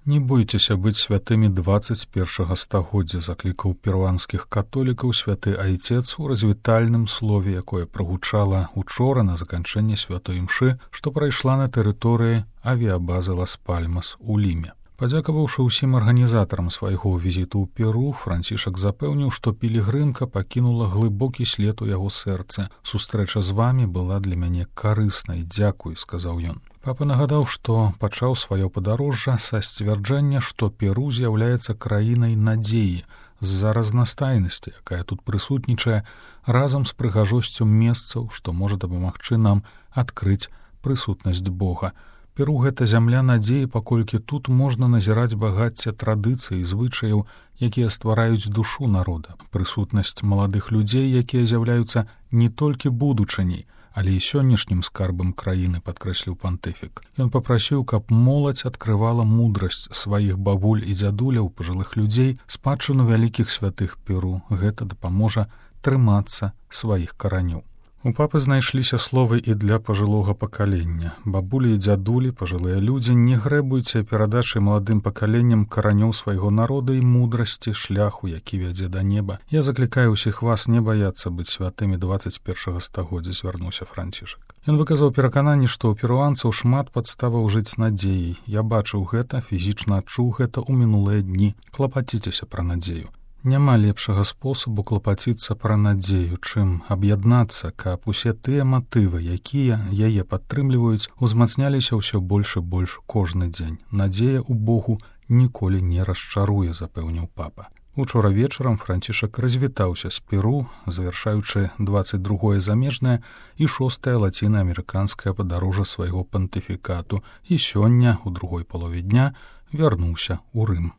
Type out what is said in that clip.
Не бойцеся быць святымі 21 стагоддзя, заклікаў перуанскіх католікаў святы айцец у развітальным слове, якое прагучала учора на заканчэнне святой імшы, што прайшла на тэрыторыі авіябазы Лас-Пальмас у Ліме. Падзякаваўшы ўсім арганізатарам свайго візіту ў Перу, Францішак запэўніў, што пілігрымка пакінула глыбокі след у яго сэрцы. «Сустрэча з вамі была для мяне карыснай, дзякуй», — сказаў ён. Папа нагадаў, што пачаў сваё падарожжа са сцвярджэння, што Перу з'яўляецца краінай надзеі з-за разнастайнасці, якая тут прысутнічае, разам з прыгажосцю месцаў, што можа дапамагчы нам адкрыць прысутнасць Бога. Перу — гэта зямля надзеі, паколькі тут можна назіраць багацце традыцый і звычаяў, якія ствараюць душу народа. Прысутнасць маладых людзей, якія з'яўляюцца не толькі будучыняй, але і сённяшнім скарбам краіны, падкрэсліў пантыфік. Ён папрасіў, каб моладзь адкрывала мудрасць сваіх бабуль і дзядуляў, пажылых людзей, спадчыну вялікіх святых Перу. Гэта дапаможа трымацца сваіх каранёў. У папы знайшліся словы і для пажылога пакалення. Бабулі і дзядулі, пажылыя людзі, не грэбуйце перадачай маладым пакаленням каранёў свайго народа і мудрасці шляху, які вядзе да неба. Я заклікаю ўсіх вас не баяцца быць святымі 21 стагоддзя, звярнуўся Францішак. Ён выказаў перакананне, што ў перуанцаў шмат падставаў жыць надзеяй. Я бачыў гэта, фізічна адчуў гэта ў мінулыя дні. Клапаціцеся пра надзею. Няма лепшага спосабу клапаціцца пра надзею, чым аб'яднацца, каб усе тыя матывы, якія яе падтрымліваюць, узмацняліся ўсё больш і больш кожны дзень. Надзея ў Богу ніколі не расчаруе, запэўніў папа. Учора вечарам Францішак развітаўся з Перу, завяршаючы 22-е замежнае і 6-е лаціна-амерыканскае падарожжа свайго пантыфікату, і сёння, у другой палове дня, вярнуўся ў Рым.